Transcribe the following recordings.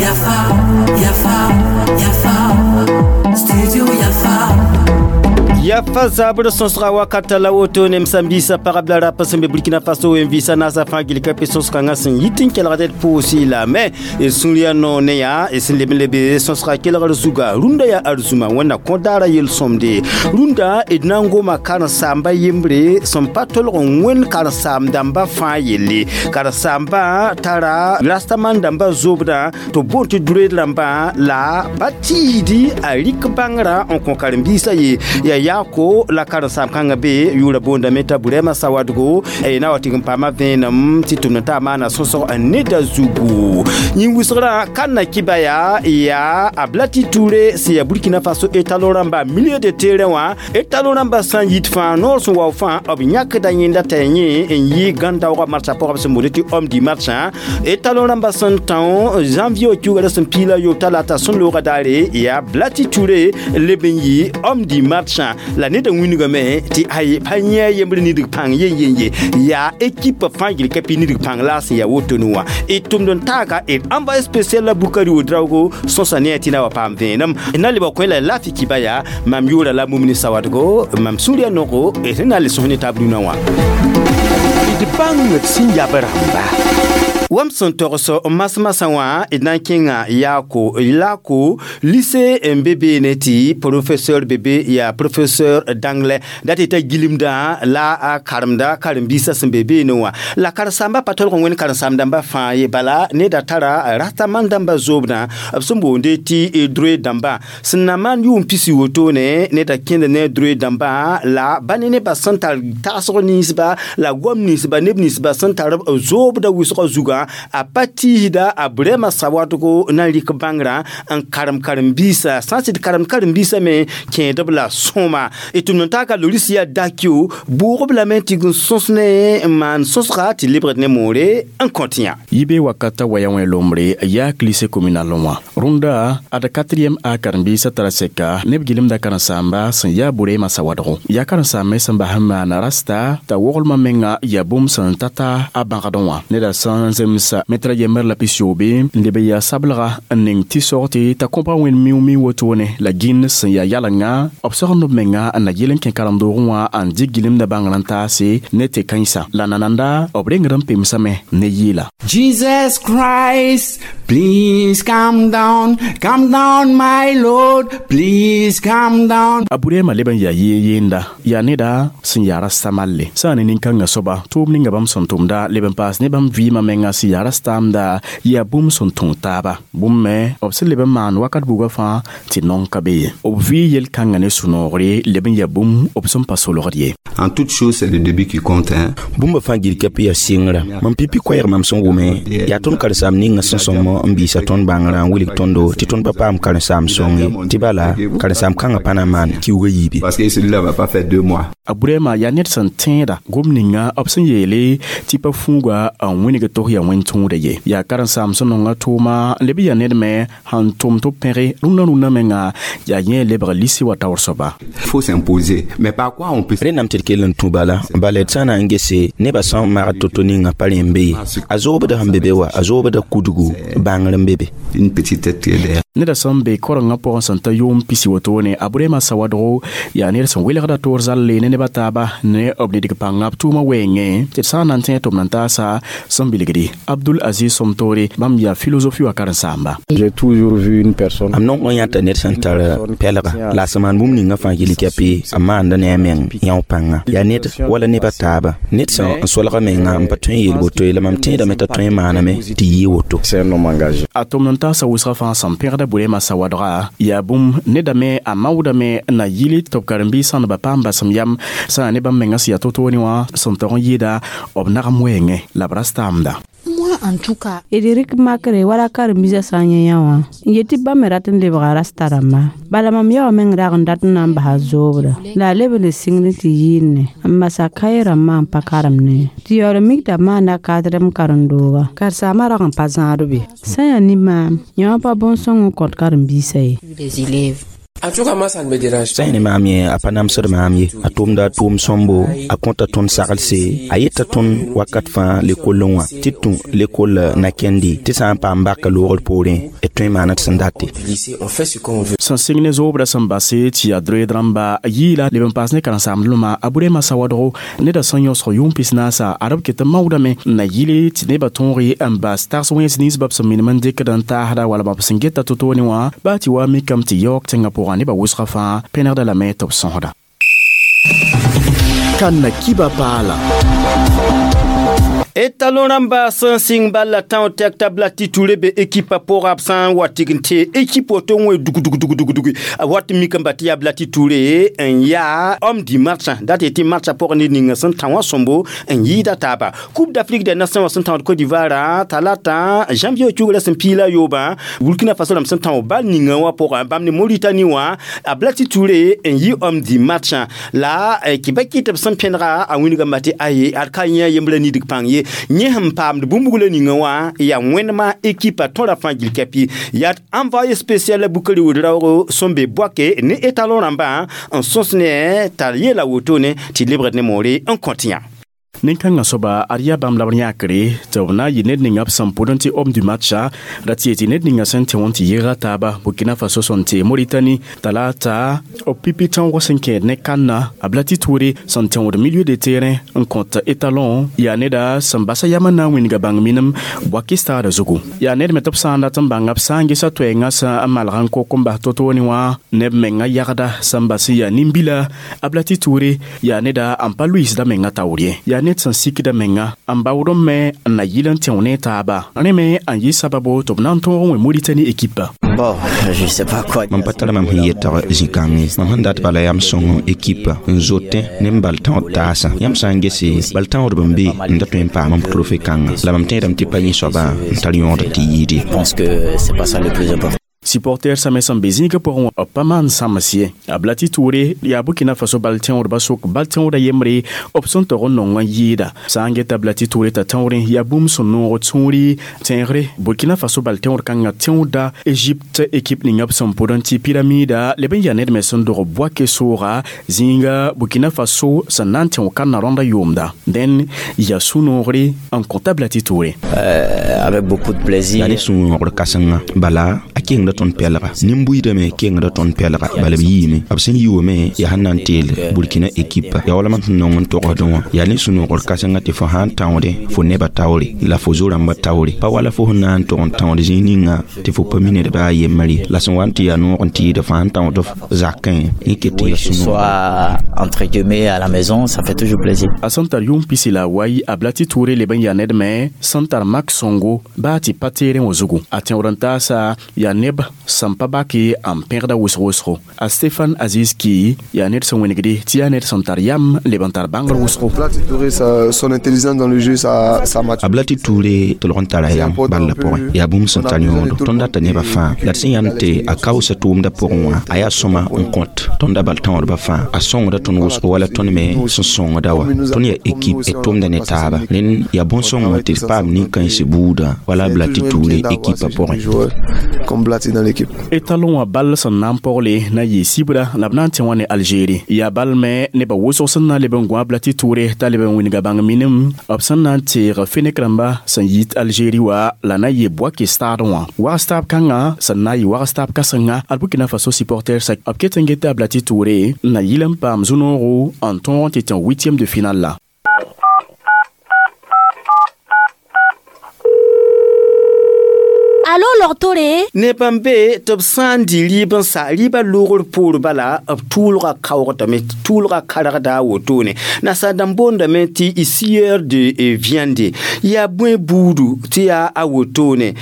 Yafa, Yafa, Yafa, Studio Yafa. Yafa zabr sõsga wakata la woto nem sãn-biisã pagb la rap sẽn be Burkina Faso wen-vɩɩsã naasã fãa gil ka pe sõs-kãngã sẽn yit n kelgd d pʋʋsɩ lame d sũur yaa noor ne yaa d sẽn leb n lebe sõsga kelgr zuga rũndã yaa arzũma wẽnna kõ daara yel-sõmde rũndã d na n goma karen-saamba yembre sẽn pa tolg n wẽnd karen-saam dãmbã fãa yelle karen-saambã tara rastaman dãmbã zobdã tɩ b boond tɩ droed rãmbã la pa tiisdi a rɩk bãngrã n kõ karen-biisã ye yaa yaako la karen-saam kãngã be yʋʋra boondame t'a Burɛma Sawadgo na wa tɩg n paama vẽenem tɩ tʋmd t'a maana sõsg neda zugu yĩn wʋsgrã ka na kɩba yaa yaa a Blati Touré sẽn yaa Burkina Faso étalon rãmba milieu de terrain wã étalon rãmba sã n yit fãa noor sẽn wao fãa b yãkda yẽnda t'a yẽ n yɩ gãn-daoogã matchã pʋgã b sẽn boond tɩ homme du match étalon rãmba sẽn tão janvier kiuga la sẽn piila yob talata sẽn looga daare yaa Blati Touré leb n yɩ homme du match la ned n wingame tɩ ay pa yẽ a yembr nidg pãng yen yen ye yaa équipe fãa gil ka pi nidg pãng la sẽn yaa wotone wã d tʋmd n taaga d envoyé spécial la Bukari Ouedraogo sõsa ne a tɩ na wa paam vẽenem na lebg kõ la lafi kiba yaa mam yʋʋra la Mumini Sawadgo mam sũur yaa nogo d sẽn na n le sõs ne taab rũnã wã d bãng d sẽn yab rãmba wam sẽn togs masmasã wã d na n kẽnga yaako lako lycée n be beene tɩ professeur bebe yaa professeur d'anglais dat tɩ t'a gilimdã la a karemda karen-biisã sẽn be beene wã la karen-saambã pa tolg n wẽnd karen-saam dãmbã fãa ye bala neda tara rastaman dãmbã zoobdã b sẽn boonde tɩ droit dãmbã sẽn na maan yʋʋm pisi wotone neda kẽnd ne droit dãmbã la ba ne nebã sẽn tar tagsg ninsba la goam ninsba neb ninsba sẽn tar b zoobda wʋsgã zugã a pa tiisda a Burɛma Sawadgo na n rɩk bãngrã n karem karen-biisã sã n sɩd karem karen-biisã me kẽedb la sõma d tʋmd n taaka Loris yaa dakio bʋʋgb lame tɩ n sõs ne n maan sõsga tɩ lebgd ne moore n kõt yã yibe wakata waya wẽ lombre yaa lycée communal wã rũndã ad 4e a karen-biisã tara sɛka neb gɩlemda karen-saamba sẽn yaa Burɛma Sawadgo yaa karen-saambã sẽn bas n maan rasta t'a woglmã menga yaa bũmb sẽn tata a bãgdẽ wã neda sẽn zemsa metra yembr la pisiobe n leb yaa sablga n ning tɩ sog tɩ t'a kõbga wẽnd miu-miu wotone la gĩnd sẽn yaa yalengã b sogend b menga n na yel n kẽ karen-doogẽ wã n dɩk gɩlemda bãngrã n taase ne tɩ kãensã la nananda b rengd n pemsame ne yɩɩla. Jesus Christ, please come down, my Lord, please come down. A Burɛma leb n yaa yee yeenda yaa neda sẽn yaa rasta malle sã n ne nin-kãngã soaba tʋʋm ninga bãmb sẽn tʋmda leb n paas ne bãmb vɩɩmã menga sẽn yaa rastaamda yaa bũmb sẽn tõog taaba bũmb me b sẽn leb n maan wakat buga fãa tɩ nong ka be ye b vɩ yel-kãngã ne sũ-noogre leb n yaa bũmb b sẽn pa solgd ye. En toute chose, c'est le début qui compte, hein. Bũmb fãa gil ka pɩ yaa sɩngrã mam pipi koɛɛg mam sẽn wʋme yaa tõnd karen-saam ninga sẽn sõm n biisa tõnd bãngrã n wilg tõndo tɩ tõnd pa paam karen-saam sõng ye tɩ bala karen-saam kãngã pa na n maan kiuugã yiibe. Parce que celui-là va pas faire 2 mois. A Burɛma yaa ned sẽn tẽeda gom ninga b sẽn yeele tɩ pa fũuga n wĩneg tʋs yaa wẽn tõoda ye yaa karen-saam sẽn nonga tʋʋma n leb n yaa ned me sẽn tʋm tɩ b pẽge rũndã rũndã menga yaa yẽ lebg lisi wa taoor soaba. Il faut s'imposer. Mais par quoi on peut Rẽnnam tɩ d kell n tũ bala bala d sã na n gese nebã sã n magd to-to ninga pa rẽ n be ye a zoobda sẽn be be wa a zoobda kudgu bãngr n be be. Une petite tête qui est derrière. Neda sẽn be korengã pʋgẽ sẽn ta yʋʋm pisi wotone a Burɛma Sawadgo yaa ned sẽn welgda toor zalle ne neb a taaba ne b nidg pãnga b tʋʋmã wɛɛngẽ tɩ d sã n na n tẽ tʋm n taasa sẽn bilgdi Abdul Aziz Somtore bãmb yaa philosophie wa karen-saamba. J'ai toujours vu une personne. Am nong n yãta ned sẽn tar pɛlga la a sẽn maan bũmb ninga fãa gil kɛpɩ a maanda ne a meng yão pãnga yaa ned wala neb a taaba ned sẽn n solg a menga n pa tõe n yeel woto ye la mam tẽedame t'a tõe n maaname tɩ yɩɩ woto. C'est un homme engagé. A tʋmd n taasa wʋsgã fãa sẽn pẽgda Burɛma Sawadga yaa bũmb nedame a maoodame n na yɩl tɩ b karen-biis sãndba paam basem yam sã n ne bãmb menga sẽn yaa to-toone wã sẽn tog n yɩɩda b nagam wɛɛngẽ la b rastaamda. Moi, en tout cas, D rɩk makre wala karen-biisã sã n yẽ yã wã n yet tɩ bãmb me rat n lebga rasta rãmba bala mam yaoã meng rag n dat n na n basa zoobda la a leb n le sɩngd tɩ yɩɩnne n masa kaye rãmbã n pa karemne tɩ yaool n mik t'a maanda kadrem karen-dooga karen-saamã rag n pa zãad be sã n yaa ne maam yã wã pa bõn-sõng n kõt karen-biisã ye. Les élèves. En tout cas, moi, ça ne me dérange Sã n ne maam yẽ a pa namsd maam ye, a tʋmda a tʋʋm sõmbo, a kõta tõnd sagelse, a yeta tõnd wakat fãa lekollẽ wã tɩ d tũ lekol na kẽndi, tɩ sã n paam baka loogr poorẽ d tõe n maana d sẽn date. Lycée, on fait ce qu'on veut. Sẽn sɩng ne zoobda sẽn base tɩ yaa droed rãmba yɩɩla leb n paas ne karen-saamdmã a Burema Sawadgo neda sẽn yõsg yʋʋm 40 ad b ket n maoodame n na yɩle tɩ nebã tõoge n bas tags wẽns nins b sẽn minim n dɩkd n taasda wala b sẽn geta to-toone wã baa tɩ wa mikame tɩ yaoog tẽngã pʋgã nebã wʋsgã fãa pẽnegda lame tɩ b sõsda. Kanna kiba paala. Etalon rãmba sẽn sɩng bal la tão tɛk t'a Blati Touré be ekipa pʋga b sã n wa tɩg n tee ekip woto n wẽ dug dug dug dug dug a wat n mik n ba tɩ yaa Blati Touré n yaa homme du match dat tɩ matcha pʋgẽ ned ninga sẽn tã wã sõmbo n yɩɩda taaba. Coupe d'Afrique des Nations wã sẽn tãod Côte d'Ivoire talata janvier cugra sẽn piila yoobã, Burkina Faso rãmb sẽn tão bal ninga wã pʋgã bãmb ne Mauritanie wã, a Blati Touré n yɩ homme du match la kɩ ba kɩ tɩ b sẽn pẽnega a wĩnigame tɩ aye ad ka yẽ yembrã nidg pãng ye yẽ sẽn paamd bũmb la ninga wã yaa wẽnema ekipa tõra fãa gil kɛpɩ yaa envoyé spécial Bukari Ouedraogo sẽn be Bouaké ne étalon rãmbã n sõs ne t'a yeela wotone tɩ lebgd ne moore n kõt yã. Nin-kãngã soaba ad yaa bãmb la b yãkre tɩ b na n yɩ ned ninga b sẽn pʋd n tɩ homme du matcha ra tɩ yetɩ ned ninga sẽn tẽ wã tɩ yɩɩga taaba Burkina Faso sẽn tee Mauritanie talata b pipi tõog sẽn kẽed ne kãnna a Blati Touré sẽn tẽod milieu de terrain n kõt étalon yaa neda sẽn basa yam n na n wĩnga bãng minem Bouaké stade zugu yaa ned me tɩ b sã n dat n bãnga b sã n gesa toɛɛngã sã n malg n kok n bas to-toone wã neb menga yagda sẽn bas n yaa nin-bila a Blati Touré yaa neda n pa luiisda menga taoor ye yaa ned sẽn sikda menga n baood n me n na yɩl n tẽo ne taaba rẽ me n yɩ sababo tɩ b na n tõog n wẽ Mauritanie ekipa. Bon, je sais pas quoi. Mam pa tara mam sẽn yetg zĩ-kãngẽ, mam sẽn dat bala yam sõng ekipa n zotẽ ne m bal tãod taasã. Yãmb sã n gese bal tãodb n be n da tõe n paam m trophée kãnga, la mam tẽedame tɩ pa yẽ soabã n tar yõod tɩ yɩɩd ye. Je pense que c'est pas ça le plus important. Supporter same sẽn be zĩigã pʋgẽ wã b pa maan sãms ye. A Blati Touré yaa Burkina Faso bal tẽodbã sʋk bal tẽoda yembre b sẽn tog n nong n yɩɩda sã n geta Blati Touré t'a tãoorẽ yaa bũmb sẽn noog tũuri tẽegre Burkina Faso bal tẽod kãngã tẽoda Égypte ekip ninga b sẽn pʋd n tɩ pyramida leb n yaa ned me sẽn dog Bouaké sooga zĩiga Burkina Faso sẽn na n tẽo kãnna rõnda yʋʋmda dẽn yaa sũ-noogre n kõta Blati Touré. Avec beaucoup de plaisir. Yaa ne sũ-noogr kãsenga bala a kengda tõnd pɛlga nin-buiidame kengda tõnd pɛlga bala b yiime b sẽn yi wame yaa sẽn na n teel Burkina ekipa yaa wala mam sẽn nong n togsdẽ wã yaa ne sũ-noogr kãsenga tɩ fo sã n tãoodẽ fo nebã taoore la fo zo-rãmbã taoore pa wala fo sẽn na n tog n tãood zĩig ninga tɩ fo pa mi ned baa yembre ye la sẽn wa n tɩ yaa noog n tɩɩd fo sã n tãood f zakẽ yẽ ket tɩ yaa sũ-noogr. Soit entre guillemets à la maison, ça fait toujours plaisir. A sẽn tar yʋʋm pisi la wai a Blati Touré leb n yaa ned me sẽn tar mak sõngo baa tɩ pa teerẽ wã zugu a tẽood n taasa yaa neb sẽn pa bake n pẽgda wʋsg-wʋsgo a Stéphane Aziz Ki yaa ned sẽn wẽnegde tɩ yaa ned sẽn tar yam leb n tar bãngr wʋsgo. Blati Touré, son intelligence dans le jeu, ça A Blati Touré tʋlg n tara yam bal la pʋgẽ yaa bũmb sẽn tar yõodo tõnd data nebã fãa la d sẽn yãmb tɩ a kaoosa tʋʋmdã pʋgẽ wã a yaa sõma n kõt tõnda bal tãoodbã fãa a sõngda tõnd wʋsgo wala tõnd me sẽn sõngda wã tõnd yaa ekip d tʋmda ne taaba rẽnd yaa bõn-sõngã tɩ d paam nin-kãens buudã wala Blati Touré ekipa pʋgẽ. Comme Blati dans l'équipe. Étalon wã bal sẽn na n pogle na yɩ sibra la b na n tẽ wã ne Algérie yaa bal me nebã wʋsg sẽn na n leb n gõ a Blati Touré t'a leb n wĩnga bãng minim b sẽn na n teeg fenek rãmba sẽn yit Algérie wã la na yɩ Bouaké stade wã wags taab kãngã sẽn na n yɩ wags taab kãsenga ad Burkina Faso supporter sa b ket n geta a Blati Touré n na yɩl n paam zu-noogo n tõog n tɩ tẽ huitième de finale la. Alo logtore ne bãmb be tɩ b sã n dɩ rɩɩb n sa rɩɩbã loogr poor bala b tʋʋlga kaoogdame tʋʋlga kargda a wotone nasaar dãmb boondame tɩ sieur de viande yaa bõe buudu tɩ yaa a wotone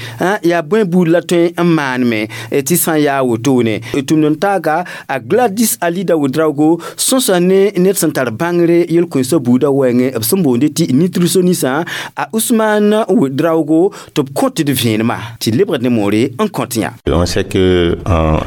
yaa bõe buud la tõe n maanme tɩ sã n yaa a wotone tũmd n taaga a Gladys Alida Ouedraogo sõsa ne ned sẽn tar bãngre yel-kũensã buudã wɛɛngẽ b sẽn boonde tɩ nutritionniste a Ousmane Ouedraogo tɩ b kõt d vẽenemã tɩ lebgd ne ne moore n kõt yã. On sait que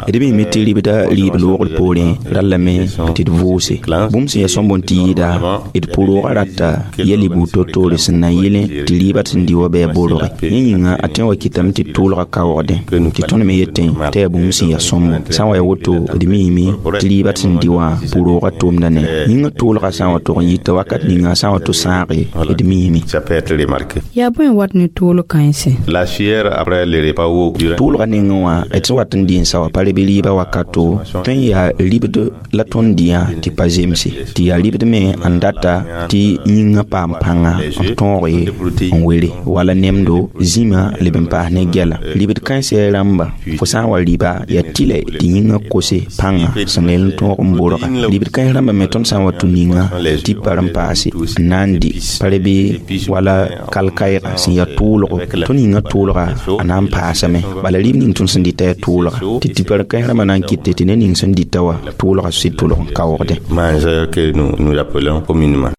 d miime tɩ ribda rɩɩb loogr poorẽ rallame tɩ d vʋʋse. Bũmb sẽn yaa sõmb n tɩ yɩɩda d pʋ-roogã rata ya libuud to-toore sẽn na n yelẽ tɩ rɩɩbã sẽn dɩ wa bɩ a borge. Yẽ yĩnga a tõe n wa kɩtame tɩ tʋʋlgã kaoogdẽ tɩ tõnd me yetẽ tɩ yaa bũmb sẽn yaa sõmbo. Sã n wa ya woto d miime tɩ rɩɩbã sẽn dɩ wã pʋ-roogã tʋʋmda ne yĩngã tʋʋlgã sã n wa tog n yita wakat ninga sã n wa to sãage d miime. Ça peut être remarqué. Yaa bõe n wat ne toolg kãense? La sueur après le repas ou durant Tʋʋlgã nengẽ wã d sẽn wat n dɩ n sa wa pa reb rɩɩbã wakato, tõe n yaa ribd la tõnd dɩyã tɩ pa zemse, tɩ yaa ribd me n data tɩ yĩngã paam pãnga n tõoge n were wala nemdo zĩma leb n paas ne gɛla. Ribd kãensã rãmba fo sã n wa rɩba yaa tɩlɛ tɩ yĩngã kose pãnga sẽn leel n tõog n borga. Ribd kãens rãmba me tõnd sã n wa tũ ninga tɩ pa n paase n na n dɩ pa rebe wala kalkaɩga sẽn yaa tʋʋlgo, tõnd yĩngã tʋʋlga a na n paasame. Bala rɩb ning tõnd sẽn dɩta yaa tʋʋlga, tɩ tɩpa kãens rãmbã na n kɩte tɩ ned ning sẽn dɩta wã tʋʋlga sɩd tʋlg n kaoogdẽ. Mangeur que nous nous appelons communément.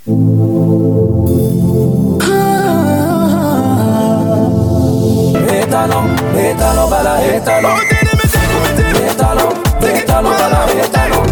Étalon, étalon, bala, étalon. Étalon, étalon, bala, étalon.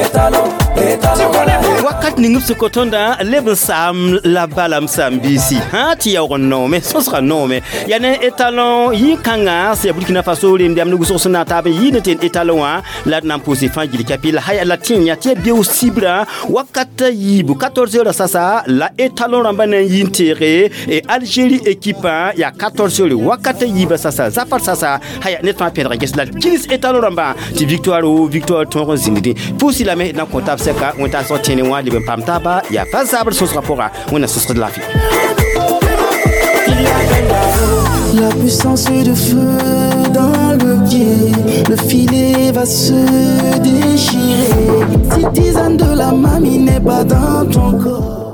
Étalon, étalon, bala. Wakat ning b sẽn kõ tõndã leb n saam la bala m saam-biisi sã tɩ yaoog n noome, sõsga noome. Yaa ne étalon yĩ-kãngã sẽn yaa Burkina Faso remdame ne wʋsg sẽn na n taab n yɩɩd n tɩ étalon wã la d na n pʋʋse fãa gil kapi la haya la tẽ yã tɩ yaa beoog sibrã wakat yiibu 14 heures sasa la étalon rãmbã na n yɩ n teege e Algérie équipe yaa 14 heures wakat yiibã sasa zafar sasa haya ned fãa pẽdg n ges la d kils étalon rãmbã tɩ victoire o victoire tõog n zĩndẽ. Pʋʋsi lame d na n kõ tab sɛka wẽntaasg tẽne wã leb n paam taaba yaa fa zabr sõsgã pʋga wẽnna sõsgd laafɩ. La puissance de feu dans le pied, le filet va se déchirer. Si tisane de la mamie n'est pas dans ton corps.